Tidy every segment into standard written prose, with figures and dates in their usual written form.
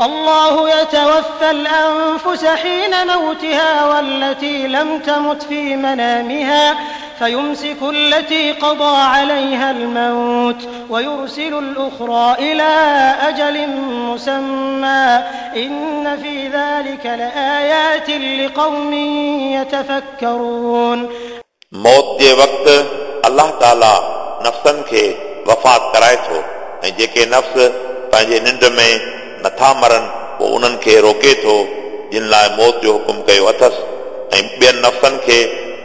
الله يتوفى الأنفس حين موتها والتي لم تمت في منامها فيمسك التي قضى عليها الموت ويرسل الأخرى إلى أجل مسمى إن في ذلك لآيات لقوم يتفكرون. موت جي وقت الله تعالى نفسن کي وفات ڪرائي ٿو ۽ جيڪي نفس پنهنجي ننڊ ۾ نٿا مرن پوءِ انهن کي روڪي ٿو جن لاءِ موت جو حڪم ڪيو اٿس ۽ ٻين نفسن کي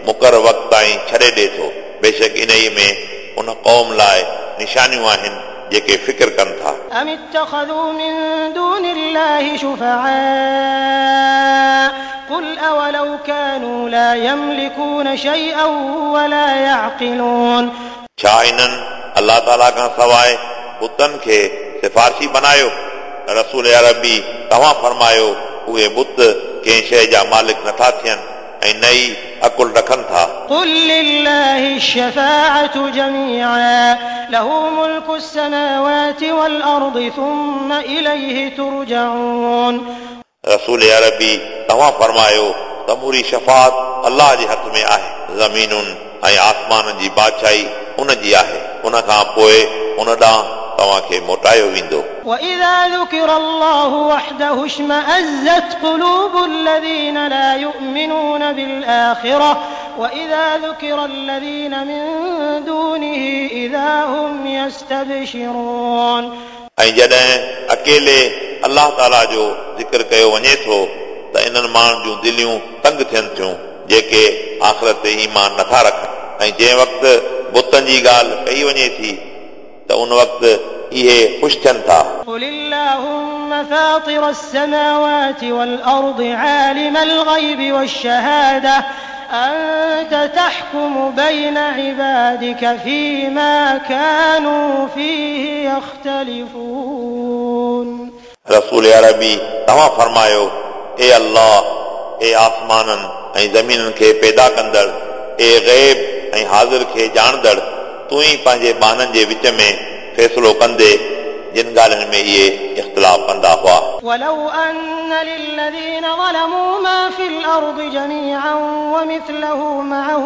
مقرر وقت تائين ڇڏي ڏئي ٿو. بيشڪ انهيءَ ۾ ان قوم لاءِ نشانيون آهن جيڪي فڪر ڪن ٿا. أم اتخذوا من دون الله شفعاء قل أولو كانوا لا يملكون شيئا ولا يعقلون. छा इन्हनि अलाह ताला खां सवाइ बुतनि खे सिफारिशी बनायो? रसूल अरबी तव्हां फरमायो उहे बुत कंहिं शइ जा मालिक नथा थियनि ऐं न ई अकुल रखनि था। قل لله الشفاعة جميعا له ملك السماوات والأرض ثم إليه ترجعون. रसूल अरबी तव्हां फरमायो समूरी शफ़ात अलाह जे हथ में आहे, ज़मीनुनि ऐं आसमाननि जी बादशाही उन जी आहे, उन खां पोइ उन ॾांहुं तव्हांखे मोटायो वेंदो। وإذا ذكر الله وحده اشمأزت قلوب الذين لا يؤمنون بالآخرة وإذا ذكر الذين من دونه إذا هم يستبشرون. ऐं जॾहिं अकेले अलाह ताला जो ज़िक्र कयो वञे थो त इन्हनि माण्हुनि जूं दिलियूं तंग थियनि थियूं जेके आख़िरत ते ईमान नथा रखनि, ऐं जंहिं वक़्तु बुतनि जी ॻाल्हि कई वञे थी त उन वक़्तु इहे ख़ुशि थियनि था। قل اللهم فاطر السماوات والأرض عالم الغيب والشهادة أنت تحكم بين عبادك فيما كانوا فيه يختلفون. रसूल अरबी तव्हां फरमायो ए अल्लाह, ए आसमाननि ऐं ज़मीननि खे पैदा कंदड़, ए ग़ैब ऐं हाज़िर खे ॼाणंदड़, तूं ई पंहिंजे ॿान्हनि जे विच में फ़ैसिलो कंदे जिन ॻाल्हियुनि में इहे इख़्तिलाफ़ कंदा हुआ। ولو أن للذين ظلموا ما في الأرض جميعا ومثله معه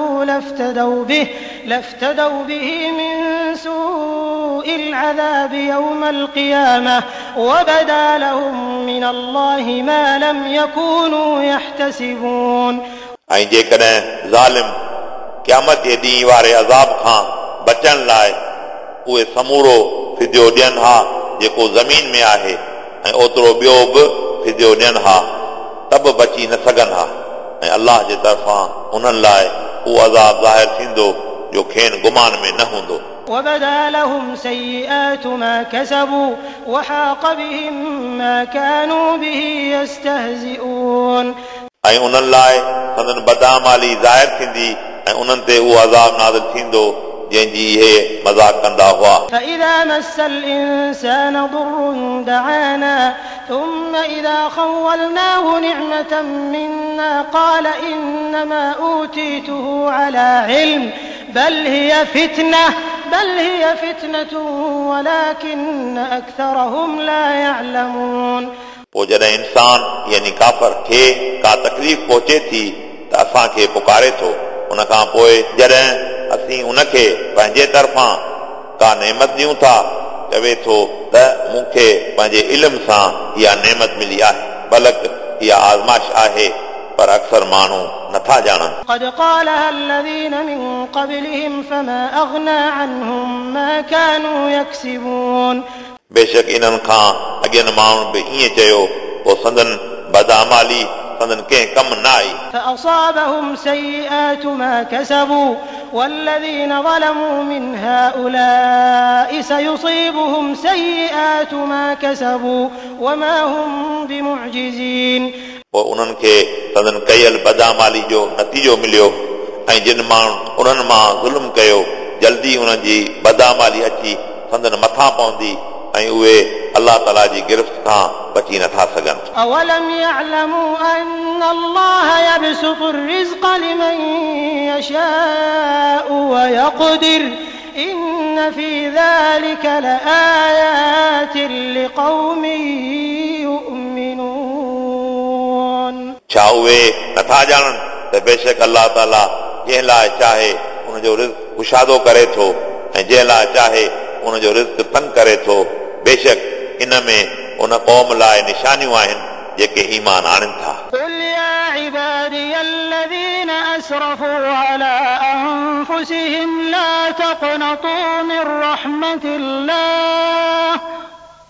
لافتدوا به من سوء العذاب يوم القيامة وبدا لهم من الله ما لم يكونوا يحتسبون. ऐं जेकॾहिं ज़ालिम क़यामत जे ॾींहुं वारे अज़ाब खां बचण लाइ उहे समूरो फिदियो ॾियनि हा जेको ज़मीन में आहे ऐं ओतिरो ॿियो बि फिदियो ॾियनि हा त बि बची न सघनि हा, ऐं अलाह जे तरफ़ां उन्हनि लाइ उहो अज़ाब ज़ाहिर थींदो जो खेनि गुमान में न हूंदो। وبدا لهم سيئات ما كسبوا وحاق بهم ما كانوا به يستهزئون. ऐं उन्हनि लाइ संदन बदामाली ज़ाहिर थींदी ऐं उन्हनि ते उहो अज़ाब नाज़िल थींदो जंहिंजी इहे मज़ाक कंदा हुआ। فإذا مس الإنسان ضر دعانا ثم إذا خولناه نعمة منا قال إنما أوتيته على علم بل هي فتنة ولكن أكثرهم لا يعلمون. पोइ जॾहिं इंसान यानी काफ़र खे का तकलीफ़ पहुचे थी त असांखे पुकारे थो, उन खां पोइ जॾहिं असीं उनखे पंहिंजे तरफ़ां का नेमत ॾियूं था चवे थो त मूंखे पंहिंजे इल्म सां इहा नेमत मिली आहे, बल्कि इहा आज़माइश आहे, पर अक्सर माण्हू नथा ॼाणनि। قد قالها الذين من قبلهم فما أغنى عنهم ما كانوا يكسبون. बेशक इन्हनि खां अॻियनि माण्हुनि बि ईअं चयो, पोइ संदन बदआमाली संदन कंहिं कमु न आई। فأصابهم سيئات ما كسبوا والذين ظلموا من هؤلاء سيصيبهم سيئات ما كسبوا وما هم بمعجزين. पोइ उन्हनि खे संदन कयल बदआमाली जो नतीजो मिलियो ऐं जिन माण्हुनि उन्हनि मां ज़ुल्म कयो जल्दी उन्हनि जी बदआमाली अची संदन मथां पवंदी ऐं उहे अलाह ताला जी गिरफ़्त खां बची नथा सघनि। أولم يعلموا أن الله يبسط الرزق لمن يشاء ويقدر إن في ذلك لآيات لقوم يؤمنون. छा उहे नथा ॼाणनि त बेशक अलाह ताला जंहिं लाइ चाहे उनजो रिज़्क कुशादो करे थो ऐं जंहिं लाइ चाहे उनजो रिज़्क तंग करे थो। बेशक इन में उन क़ौम लाइ निशानियूं आहिनि जेके ईमान आणनि था। قل يا عبادي الذين أسرفوا على أنفسهم لا تقنطوا من رحمة الله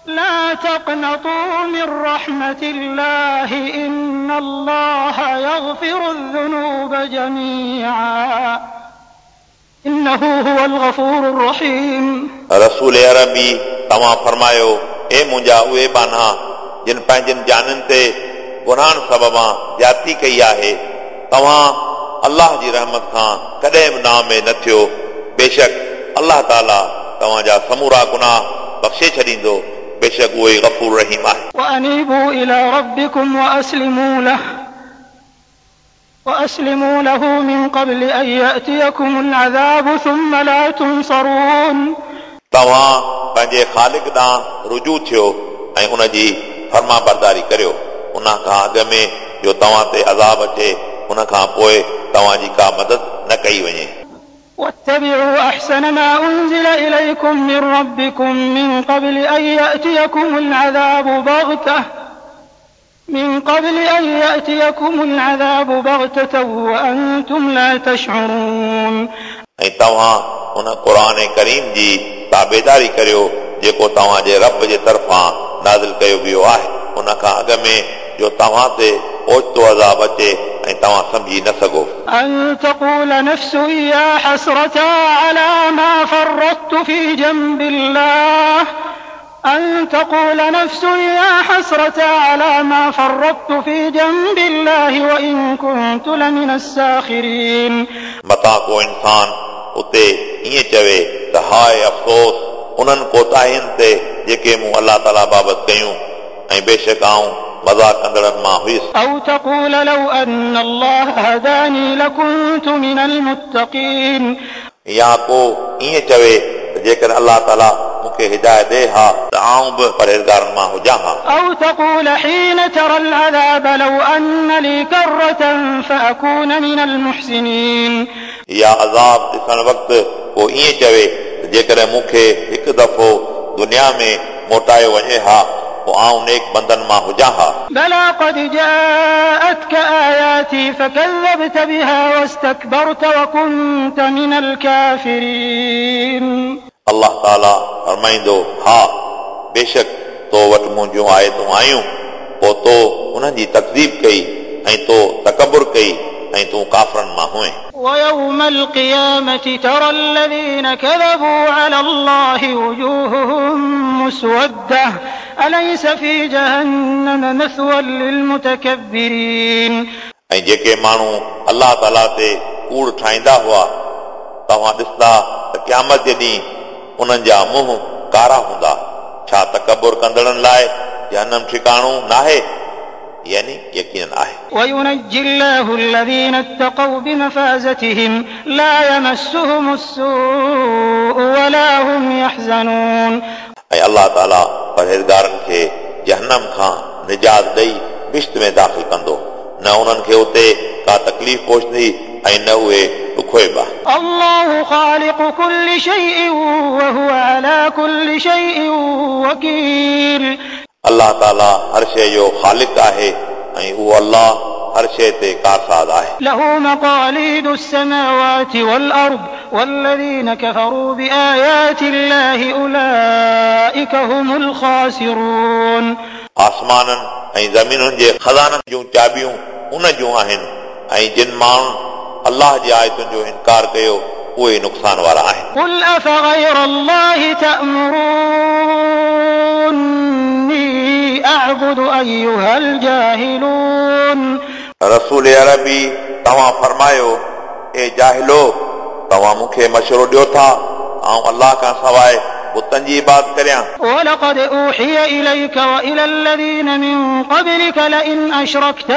لا تقنطوا من رحمة الله إن الله يغفر الذنوب جميعا إنه هو الغفور الرحيم। रसूल अरबी तव्हां फरमायो, ए मुंहिंजा उहे बान्हा जिन पंहिंजनि जाननि ते गुनाहनि सबबां ज़्यादती कई आहे, तव्हां अलाह जी रहमत खां कॾहिं बि नाउमेद न थियो। बेशक अलाह ताला तव्हांजा समूरा गुनाह बख़्शे छॾींदो, बेशक उहो ई गफ़ूर रहीम आहे। وأنيبوا إلى ربكم وأسلموا له من قبل أن يأتيكم العذاب ثم لا تنصرون। तव्हां पंहिंजे ख़ालिक ॾांहुं रुजू थियो ऐं उन जी फर्मा बरदारी करियो, उन खां अॻु में जो तव्हां ते अज़ाब अचे उन खां पोइ तव्हांजी का मदद न कई वञे। واتبعوا أحسن ما أنزل إليكم من ربكم من قبل أن يأتيكم العذاب بغتة وأنتم لا تشعرون। ऐं तव्हां उन क़ुर करीम जी ताबेदारी करियो जेको तव्हांजे रब जे तरफ़ां नाज़िल कयो वियो आहे, उन खां अॻु में जो तव्हां ते ओचितो अज़ाब अचे ऐं तव्हां सम्झी न सघो। أن تقول نفس يا حسرة على ما فرطت في جنب الله أن تقول نفس يا حسرة على ما فرطت في جنب الله وإن كنت لمن الساخرين। मतां को इंसान उते ईअं चवे त हाय अफ़सोस उन्हनि कोताहियुनि ते जेके मूं अलाह ताला बाबति कयूं, ऐं बेशक आऊं मज़ाक कंदड़नि मां हुयुसि। أو تقول لو أن الله هداني لكنت من المتقين। या को ईअं चवे त जेकॾहिं अलाह ताला मूंखे हिदायत ॾे हा त आऊं बि परहेज़गारनि मां हुजां हा। أو تقول حين ترى العذاب لو أن لي كرة فأكون من المحسنين। या अज़ाब ॾिसण वक़्तु को ईअं चवे त जेकॾहिं मूंखे हिकु दफ़ो दुनिया में मोटायो वञे हा पोइ आऊं नेक बंदनि मां हुजां हा। بلى قد جاءتك آياتي فكذبت بها واستكبرت وكنت من الكافرين। अलाह ताला फरमाईंदो, हा बेशक तो वटि मुंहिंजूं आयतूं आयूं, पोइ तो उन्हनि जी तकज़ीब कई ऐं तो तकबुर कई ऐं तूं काफ़रनि मां हुए। ويوم القيامة ترى الذين كذبوا على الله وجوههم مسودة أليس في جهنم مثوى للمتكبرين। ऐं जेके माण्हू अलाह ताला ते कूड़ ठाहींदा हुआ, तव्हां ॾिसंदा त क़यामत जे ॾींहुं उन्हनि जा मुंहं कारा हूंदा। छा तकबुर कंदड़नि लाइ जहनम ठिकाणो नाहे? यानी यकीनन आहे। وينجي الله الذين اتقوا بمفازتهم لا يمسهم السوء ولا هم يحزنون। ऐं अलाह ताला परहेज़गारनि खे जहनम खां निजात ॾेई बिश्त में दाख़िल कंदो, न उन्हनि खे उते का तकलीफ़ पहुचंदी ऐं न उहे ॾुखोइबा। الله خالق كل شيء وهو على كل شيء وكيل। अलाह ताला हर शइ जो ख़ालिक आहे ऐं उहो अलाह हर शइ ते कारसाज़ आहे। له مقاليد السماوات والأرض والذين كفروا بآيات الله أولئك هم الخاسرون। आसमाननि ऐं ज़मीनुनि जे ख़ज़ाननि जूं चाबियूं उन जूं आहिनि ऐं जिन माण्हुनि अलाह जी आयतुनि जो इनकार कयो उहे नुक़सान वारा आहिनि। قل أفغير الله تأمروني أعبد أيها الجاهلون। रसूल अरबी तव्हां फरमायो, ए जाहिलो, तव्हां मूंखे मशवरो ॾियो था आऊं अलाह खां सवाइ बुतनि जी इबादत करियां। ولقد أوحي إليك وإلى الذين من قبلك لئن أشركت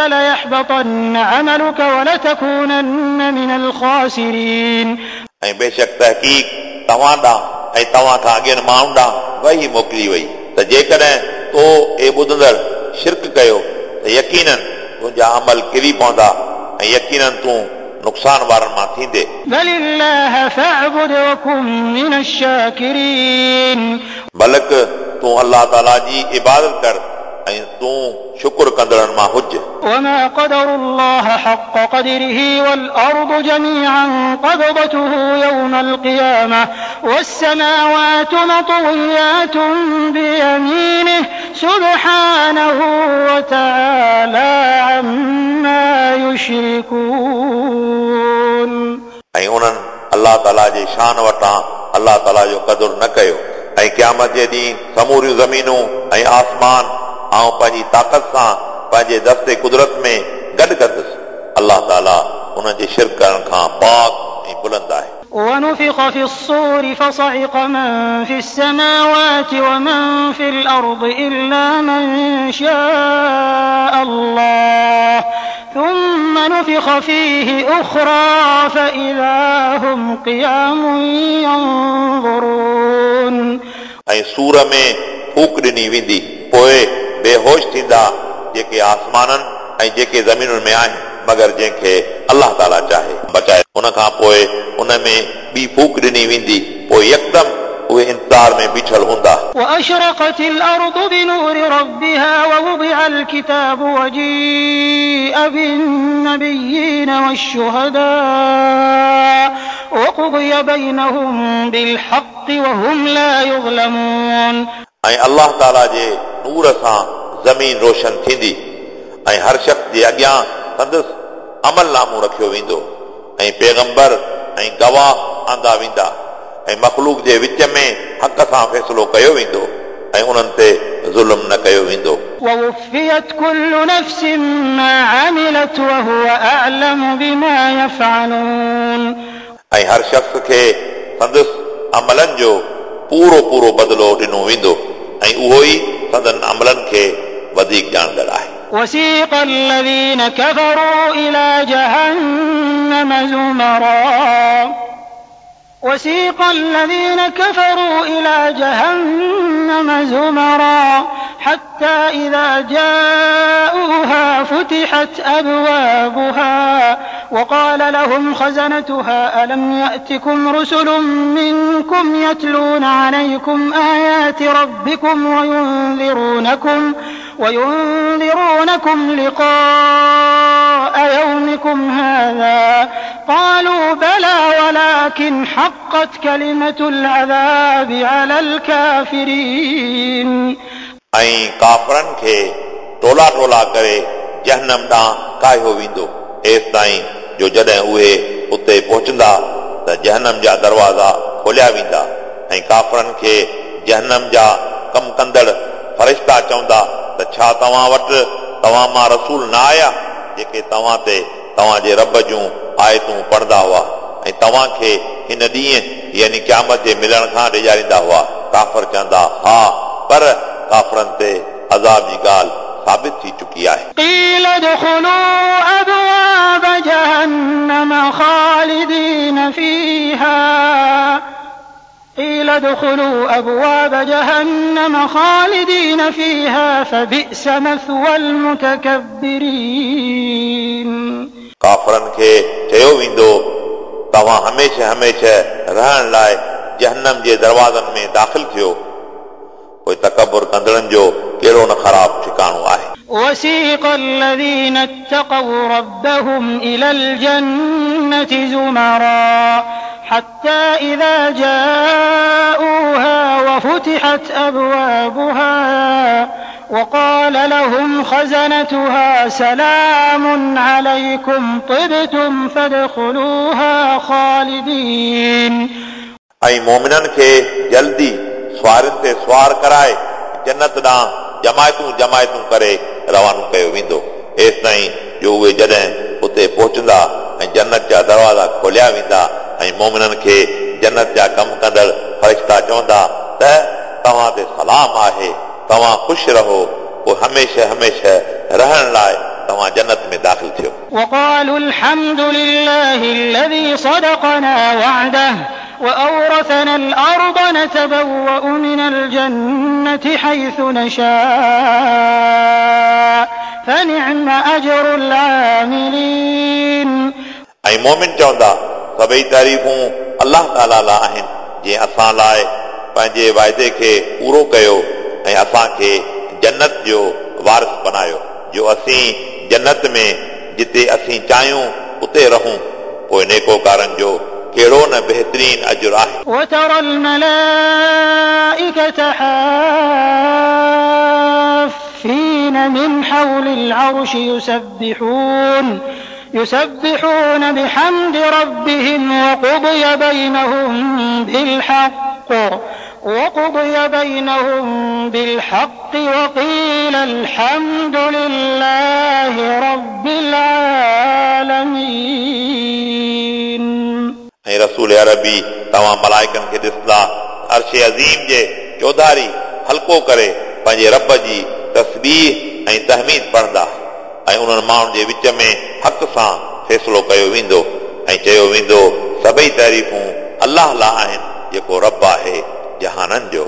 ليحبطن عملك ولتكونن من الخاسرين। ऐं बेशक तहक़ीक़ तव्हां ॾांहुं ऐं तव्हां खां अॻियनि माण्हुनि ॾांहुं वही मोकिली वई त जेकॾहिं تو ए ॿुधंदड़ शिरक कयो त यकीनन तुंहिंजा अमल किरी पवंदा ऐं यकीनन तूं नुक़सान वारनि मां थींदे। بل الله فاعبد وڪن من الشاڪرين. बल्कि तूं अलाह ताला जी इबादत कर ऐं तूं शुक्र कंदड़नि मां हुज। وما قدروا الله حق قدره والأرض جميعا قبضته يوم القيامة والسماوات مطويات بيمينه سبحانه وتعالى عما يشركون. ऐं उन्हनि अलाह ताला जे शान वटां अलाह ताला जो क़दुरु न कयो ऐं क़यामत जे ॾींहुं समूरियूं ज़मीनूं ऐं आसमान आउं पंहिंजी ताक़त सां पंहिंजे दस्ते कुदरत में गॾु कंदुसि। अलाह ताला उन्हनि जे शिरक करण खां पाक ऐं बुलंद आहे। ونفخ في الصور فصعق من في السماوات ومن في الأرض إلا من شاء الله ثم نفخ فيه أخرى فإذا هم قيام ينظرون. ऐं सूर में फूक ॾिनी वेंदी पोइ बेहोश थींदा जेके आसमाननि ऐं जेके ज़मीनुनि में आहिनि मगर जंहिंखे अलाह ताला चाहे बचाए। उन खां पोइ उन में ॿी फूक ॾिनी वेंदी पोइ यकदम उहे इंतज़ार में बीठल हूंदा। وأشرقت الأرض بنور ربها ووضع الكتاب وجيء بالنبيين والشهداء وقضي بينهم بالحق وهم لا يظلمون. ऐं अलाह ताला जे नूर सां ज़मीन रोशन थींदी ऐं हर शख़्स जे अॻियां संदसि अमल नामो रखियो वेंदो ऐं पैगंबर ऐं गवाह आंदा वेंदा ऐं मख़लूक जे विच में हक़ सां फ़ैसिलो कयो वेंदो ऐं उन्हनि ते ज़ुल्म न कयो वेंदो। ووفيت كل نفس ما عملت وهو أعلم بما يفعلون. ऐं हर शख़्स खे संदसि अमलनि जो पूरो पूरो बदिलो ॾिनो वेंदो ऐं उहो ई संदन अमलनि खे वधीक ॼाणंदड़ आहे। وسيق الذين كفروا إلى جهنم زمرا وسيق الذين كفروا إلى جهنم زمرا حتى إذا جاءوها فتحت أبوابها وقال لهم خزنتها ألم يأتكم رسل منكم يتلون عليكم آيات ربكم وينذرونكم لقاء يومكم هذا قالوا بلى ولكن حقت كلمة العذاب على الكافرين. ऐं काफ़रनि खे टोला टोला करे जहनम ॾांहुं काहियो वेंदो एसि ताईं जो जॾहिं उहे उते पहुचंदा त जहनम जा दरवाज़ा खोलिया वेंदा ऐं काफ़रनि खे जहनम जा कम कंदड़ फरिश्ता चवंदा त छा तव्हां वटि तव्हां मां रसूल न आया जेके तव्हां ते तव्हांजे रब जूं आयतूं पढ़ंदा हुआ ऐं तव्हांखे हिन ॾींहुं यानी क़यामत जे मिलण खां ॾिजारींदा हुआ। काफ़र चवंदा हा, पर काफ़रनि ते अज़ाब जी ॻाल्हि साबित थी चुकी आहे। قيل ادخلوا أبواب جهنم خالدين فيها قيل ادخلوا أبواب جهنم خالدين فيها فبئس مثوى المتكبرين. काफ़रनि खे चयो वेंदो तव्हां हमेशह हमेशह रहण लाइ जहन्नम जे दरवाज़नि में दाख़िल थियो, पोइ तकबुर कंदड़नि जो कहिड़ो न ख़राबु ठिकाणो आहे। وسيق الذين اتقوا ربهم إلى الجنة زمرا حتى إذا جاءوها وفتحت أبوابها وقال لهم خزنتها سلام عليكم طبتم فادخلوها خالدين. ऐं मोमिननि खे जल्दी सवारियुनि ते सवार कराए जन्नत ॾांहुं जमायतूं जमायतूं करे रवानो कयो वेंदो एसि ताईं जो उहे जॾहिं उते पहुचंदा ऐं जन्नत जा दरवाज़ा खोलिया वेंदा ऐं मोमिननि खे जन्नत जा कम कंदड़ फरिश्ता चवंदा त तव्हां ते सलाम आहे, तव्हां ख़ुशि रहो, पोइ हमेशह हमेशह रहण लाइ तव्हां जन्नत में दाख़िल थियो। وقالوا الحمد لله الذي صدقنا وعده وأورثنا الأرض نتبوأ من الجنة حيث نشاء فنعم أجر العاملين. ऐं मोमिन चवंदा सभई तारीफ़ूं अलाह ताला लाइ आहिनि जंहिं असां लाइ पंहिंजे वाइदे खे पूरो कयो ऐं असांखे जन्नत जो वारिस बनायो जो असीं जन्नत में जिते असीं चाहियूं उते रहूं पोइ नेकोकारनि जो कहिड़ो न बहितरीन अजुर आहे। وترى الملائكة حافين من حول العرش يسبحون بحمد ربهم وقضي بينهم بالحق وقيل الحمد لله رب العالمين. ऐं रसूल अरबी तव्हां मलाइकनि खे ॾिसंदा अर्श अज़ीम जे चौधारी हल्को करे पंहिंजे रब जी तस्बीह ऐं तहमीद पढ़ंदा ऐं उन्हनि माण्हुनि जे विच में हक़ सां फ़ैसिलो कयो वेंदो ऐं चयो वेंदो सभई तारीफ़ूं अलाह लाइ आहिनि जेको रब आहे जहाननि जो।